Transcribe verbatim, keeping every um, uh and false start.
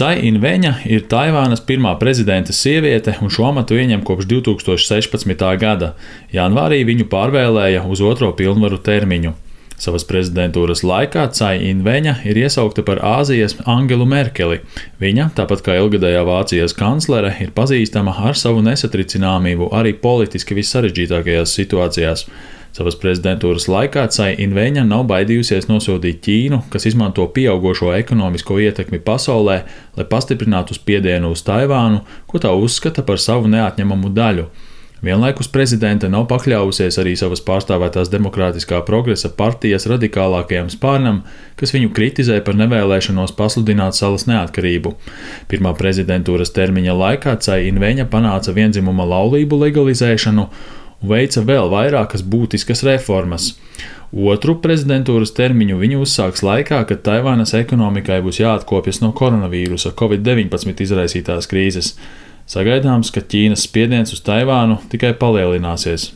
Cai In-veņa ir Taivānas pirmā prezidenta sieviete un šo amatu ieņem kopš divi tūkstoši sešpadsmitā gada. Janvārī viņu pārvēlēja uz otro pilnvaru termiņu. Savas prezidentūras laikā Cai In-veņa ir iesaukta par Āzijas Angelu Merkeli. Viņa, tāpat kā ilgadējā Vācijas kanclere, ir pazīstama ar savu nesatricināmību arī politiski vissarežģītākajās situācijās. Savas prezidentūras laikā Cai In-veņa nav baidījusies nosodīt Ķīnu, kas izmanto pieaugošo ekonomisko ietekmi pasaulē, lai pastiprinātu spiedienu uz Taivānu, ko tā uzskata par savu neatņemamu daļu. Vienlaikus prezidente nav pakļāvusies arī savas pārstāvētās Demokrātiskā progresa partijas radikālākajam spārnam, kas viņu kritizē par nevēlēšanos pasludināt salas neatkarību. Pirmā prezidentūras termiņa laikā Cai In-veņa panāca vienzimuma laulību legalizēšanu un veica vēl vairākas būtiskas reformas. Otru prezidentūras termiņu viņa uzsāks laikā, kad Taivānas ekonomikai būs jāatkopjas no koronavīrusa covid deviņpadsmit izraisītās krīzes. Sagaidāms, ka Ķīnas spiediens uz Taivānu tikai palielināsies.